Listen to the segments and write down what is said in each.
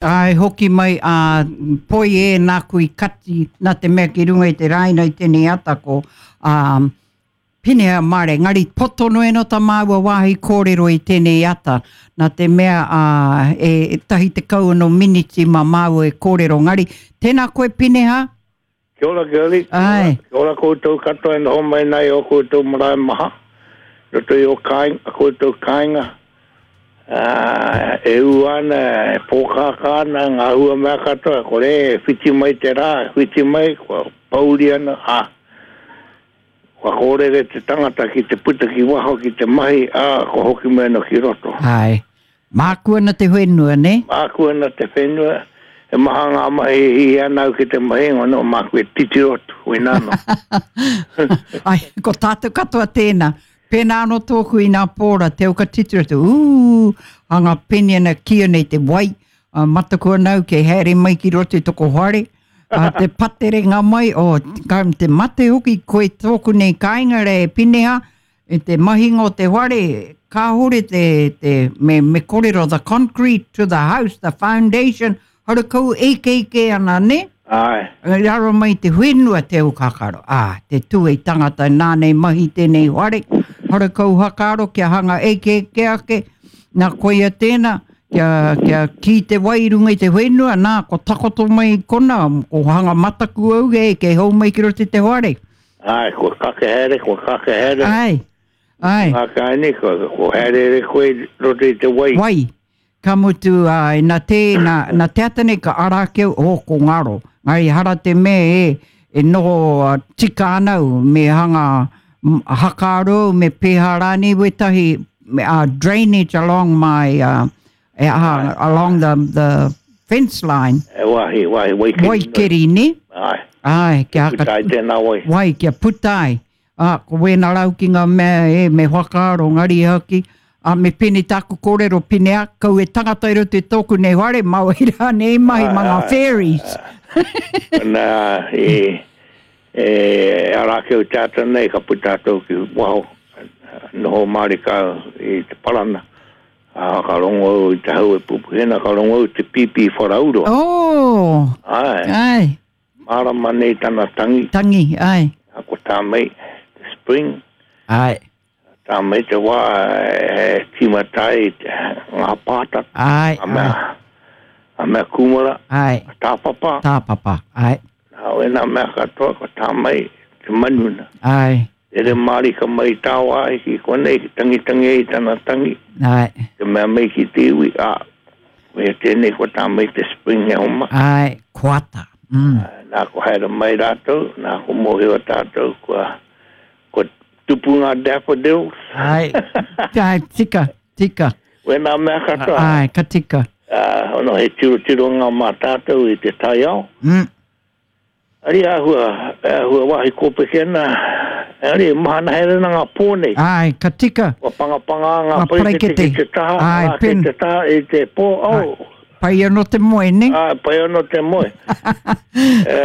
Āe, hoki mai a Poi e nāku i kati, nā te mea ki runga i te rāina i tēnei ata ko a Pineha Mare, engari poto noa eno tā māua wāhi kōrero i tēnei ata, nā te mea a e 16 ano miniti mā māua e kōrero, engari tēnā koe Pineha? Kia ora Girlie, Ae. kia ora koutou katoa e noho mai nei i ō koutou marae maha, i roto i ō kāinga, koutou kāinga, ā, e ū ana, e pōkākā ana ngā hua mea katoa, kore e whiti mai te rā, whiti mai, kua pōuri ana, ā, kua kōrere te tangata ki te puta ki waho ki te mahi, ā, kua hoki mai anō ki roto. Ae. Māku ana te whenua, nē? Māku ana te whenua, he maha ngā mahi e hiahia ana au ki te mahi, engari nō māku e titiro atu, koinā anō. Ai, ko tātou katoa tēnā. Pēnā anō tōku i nā pōra, te au ka titiro atu, ū, a ngā peni ana kīia nei te wai, a, mataku ana au kei haere mai ki roto i toko whare, a, te paterenga mai, o, ka, te mate hoki koe tōku nei kāinga rā e Pineha, I te mahinga o te whare, kāore te, te, me, me korero the concrete to the house, the foundation, harakau eikeike ana, ne? Āe. I raro mai te whenua te aukakaro, ā, te tū ei tangata nānei mahi tēnei whare, harakau hakaaro kia hanga eikeike ake, nā koia tēnā, kia, kia kī te wai i runga i te whenua, nā, ko takoto mai i kona, ko hanga mataku au, e, kei hou mai ki roto i te whare. Āe, kua kake haere, kua kake haere. Āe, āe. Ngā kāini, kua, kua haereere koe i roto i te wai. Wai. Ka mutu, āe, nā te, nā, nā te ata nei ka ara ake au, oh, ko ngaro. Engari hara te mea e, e noho tika ana au, me hanga hakaaro au, me pēhā rānei wētahi, me, uh, drainage along my, uh, e aha, along the, the fence line. E wāhi, wāhi, waikeri. Waikeri, ne? Ai. Ai, kia haka... Puta ai tēnā wai. Wai, kia puta ai. Ah, ko wēnā rau ki ngā mea, e, me whakaaro, ngari haki. Ah, me pene tāku kōrero, pene a, kau e tangata i roto i tōku nei whare, mā wai rā nei mahi mā ngā fairies. Nā, e, e, ara ake o te ata nei, ka puta atu ki waho, noho mārika i te parana. Ā, ka rongo au i te hau e pupuhi ana, ka rongo au te pīpī wharauro. Oh! Āe. Āe. Mārama nei tana tangi. Tangi, āe. Ā, ko tā mai, te spring. Āe. Tā mai te wā e tīmata ai ngā pātata. Āe, āe. Ngā mea kūmara. Āe. Tāpapa. Tāpapa, āe. Nā wēnā mea katoa, ko tā mai te manu na. Āe. Rere mārika mai i tāwāhi ki konei, ki tangitangi ai tana tangi. Āe. Te mea mai ki te iwi, ā, koia tēnei ko tā mai te spring e oma. Āe, ko ata. Mm. Nā, ko haere mai rātou, nā, ko mōhio tātou, kua, kua tupu ngā daffodils. Āe, āe, tika, tika. Wēnā mea katoa. Āe, ka tika. Ā, ono he tirotironga mā tātou i te taiao. Mm. Ari āhua, āhua wāhi kōpeke ana, engari e mahana haere ana ngā pō nei. Āe, ka tika. Kua pangapangā ngā paraikete ki te taha, Āe, ā, ki te taha i te pō, oh. Pai anō te moe, ne? Āe, pai anō te moe. E,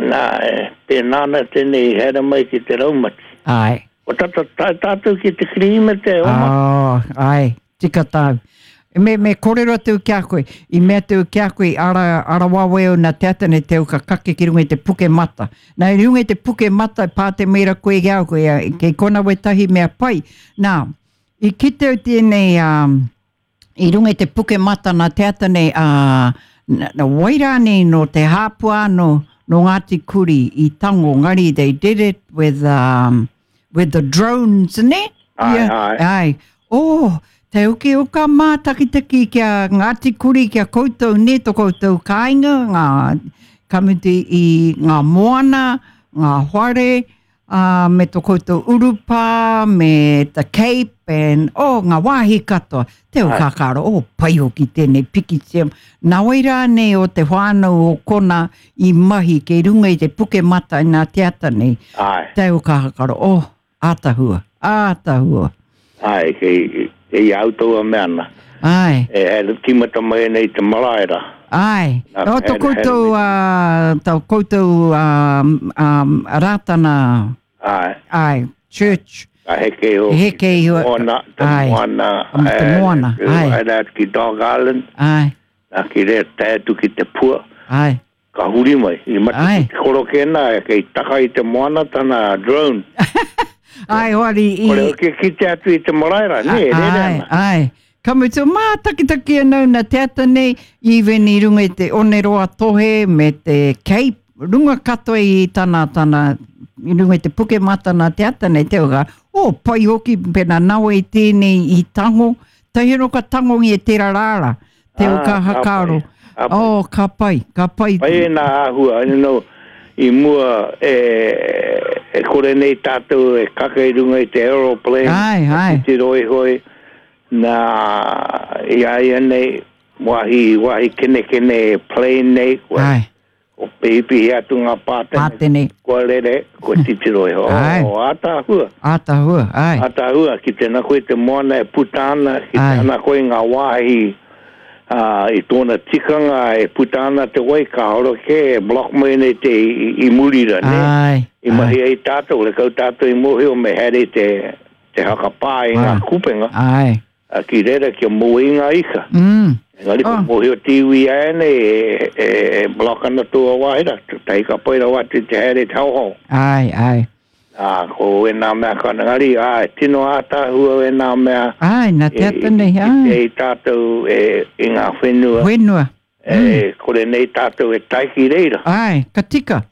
nā, e, pēnā ana tēnei i haere mai ki te raumati. Āe. Kua tata tae tātou ki te Kirihimete, oma. Oh, āe. Tika tāu. Me, me kōrero atu ki a koe, i mea atu ki a koe, ara, ara wawe au nā te ata nei te au ka kake ki runga i te puke mata. Nā, i runga i te puke mata, pā te mera koe ki a koe, kei kona wetahi mea pai. Nā, i kite au tēnei, um, i runga i te puke mata nā te ata nei, ā, uh, wai rānei nō te hāpua anō, nō Ngāti Kuri i tango, ngari they did it with, um, with the drones, ne? Ai, yeah. ai. Ai. Oh, te uki o ka mātakitaki ki a Ngāti Kuri, ki a koutou, ne, to koutou kāinga, ngā kamuti i ngā moana, ngā whare, uh, me to koutou urupā, me the Cape, and, oh, ngā wāhi katoa. Te o kākaro, oh, pai hoki tēnei pikitia. Nā wai rānei o te whānau o kona i mahi kei runga i te puke mata i nā te ata nei. Ai. Te o kākaro, oh, ātahua, ātahua. Ai, kei, kei au taua mea ana. Ai. E haere tīmata mai ana i te marae rā. Ai. Nā, O, to haere- haere koutou, uh, to koutou um, um, Rātana Ai. Ai, church. Ka heke iho. Heke iho. Te moana, te Ai. moana. Te moana, ai. Haere atu ki Dog Island. Ai. Nā, ki reira tae atu ki te pua. Ai. Ka huri mai. I mate ki te koroke nā, kei taka i te moana tana drone. Ai, hoari i... Kore hoki e kite atu i te marae rā, nē, e rere ana. Ai, ai. Ka mutu, mātakitaki ana au nā te ata nei, even i runga i te Oneroa Tohe me te Cape, runga katoa i tana, tana, i runga i te puke mata nā te ata nei, te oka, oh, pai hoki, pēnā nawe i tēnei i tango, tahi anō ka tangongia tērā rāra, te ah, ka hakaaro. Ka pai. Oh, ka pai, ka pai. Pai e nā āhua, you know, i mua e, e kore nei tātou e kake i runga i te aeroplane, ai, ai. Te roihoi, Nā, i a ia nei, wāhi, wāhi kenekene e plane nei, kua, Ai. ko pihipihi atu ngā pātene, Pātene. kua rere, kua titiro iho. Ai. Oh, ātaahua. Ātaahua, ai. Ātaahua, ki tēnā koe te moana e puta ana, ki Ai. tēnā koe ngā wāhi, ā, i tōna tikanga e puta ana te wai, kāore kē e block mai nei te i, i muri ra, nē? Ai. I mahi ai tātou, rekau tātou i mōhio me haere te, te hakapā i ngā kupenga. Ai. A ki reira kia moe i ngā ika. Mm. Engari ko mōhio te iwi āianei e, e, e block ana tō wāhi rā, tahi ka pai rawa atu te haere te haohao. Ai, ai. Ā, ko ēnā mea ka engari, āe, tino ātaahua ēnā mea. Ai, nā te ata nei, ai. I te i tātou e, i ngā whenua. Whenua. E kore nei tātou e tae ki reira. Āe, ka tika.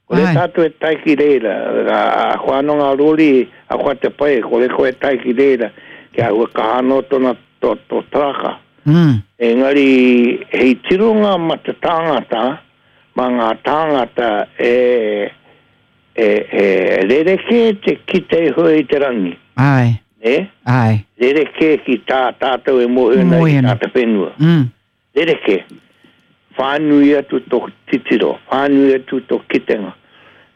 Kore tātou e tae ki reira. Ahakoa anō ngā rori, ahakoa te pai, kore koe e tae ki reira, kia āhua kaha anō tōna, tō, tō taraka. Engari, hei tironga ma te tāngata, ma ngā tāngata e, e, e rerekē te kite iho i te rangi. Āe. Nē? Āe. Rerekē ki tā tātou e mōhio ana ki tā te whenua. Rerekē. Whānui atu tō titiro, whānui atu tō kitenga.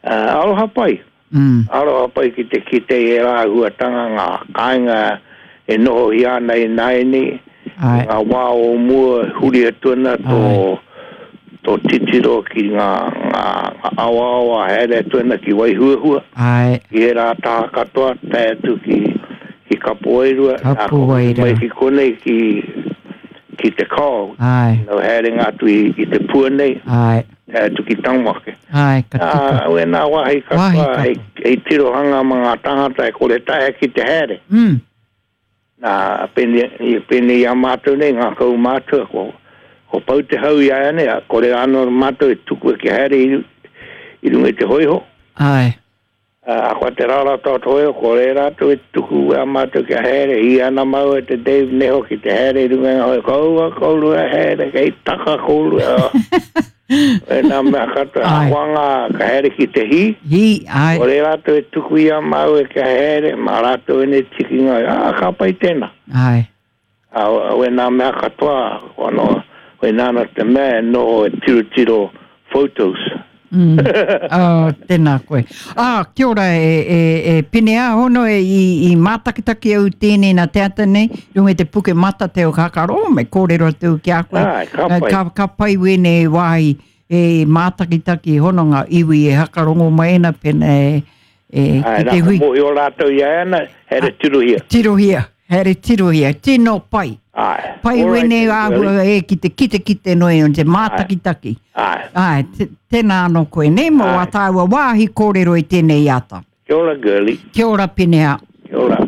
Aroha pai. Aroha pai ki te kite i ērā āhuatanga, ngā kāinga e nohohia ana ināianei, i ngā wā o mua huri atu ana tō, tō titiro ki ngā, ngā awaawa haere atu ana ki Waihuahua, ki ērā taha katoa, tae atu ki, ki Kapowairua, nā, ka hoki mai ki konei ki, ki te kao, Ae. No haerenga atu i, i te pua nei, Ae. tae atu ki Tangwake. Ae, ka tika. Ā, wēnā wāhi katoa, Wāhi katoa. hei, hei tirohanga mā ngā tāngata e kore taea ki te haere. Mm. Nā, pēnei, pēnei i a mātou nei, ngā kaumātua, ko, ko pau te hau i a ia nei, kore anō mātou e tukua kia haere i, i runga i te hōiho. Ae. Ā, ko te rarata o Toeo, ko reira atu e tuku a mātou kia haere, i ana māua te Dave Neho ki te haere i runga i ngā hoe, kaua kourua haere, kei taka kourua. E nā mea katoa, Ai. ahakoa ngā, ka haere ki te hī, Hī, ai. ko reira atu e tuku i a māua kia haere, mā rātou ēnei tikinga, ā, ka pai tēnā. Ai. Ā, wēnā mea katoa, ko anō, wēnā ana te mea e noho e tirotiro photos. Mm. Oh, tēnā koe. Ā, kia ora e, e, e Pene Āhono e i, i mātakitaki au tēnei nā te ata nei, runga i te puke mata te o Kakaro, me kōrero atu ki a koe. Āe, ka pai. Ka, ka pai wēnei wāhi e mātakitaki hono ngā iwi e hakarongo mai ana pena e, e, Āe, ki nā, te ko hui. mōhio rātou i a ana, haere tirohia. Tirohia, haere tirohia, tino pai. Āe. Pai All right wēnei then, āhua Girlie. e ki te kitekite noe o te mātakitaki. Āe. Āe, tēnā anō koe, nē, mō Āe. wā tāua wāhi kōrero i tēnei ata. Kia ora, Girlie. Kia ora, Pineha. Kia ora.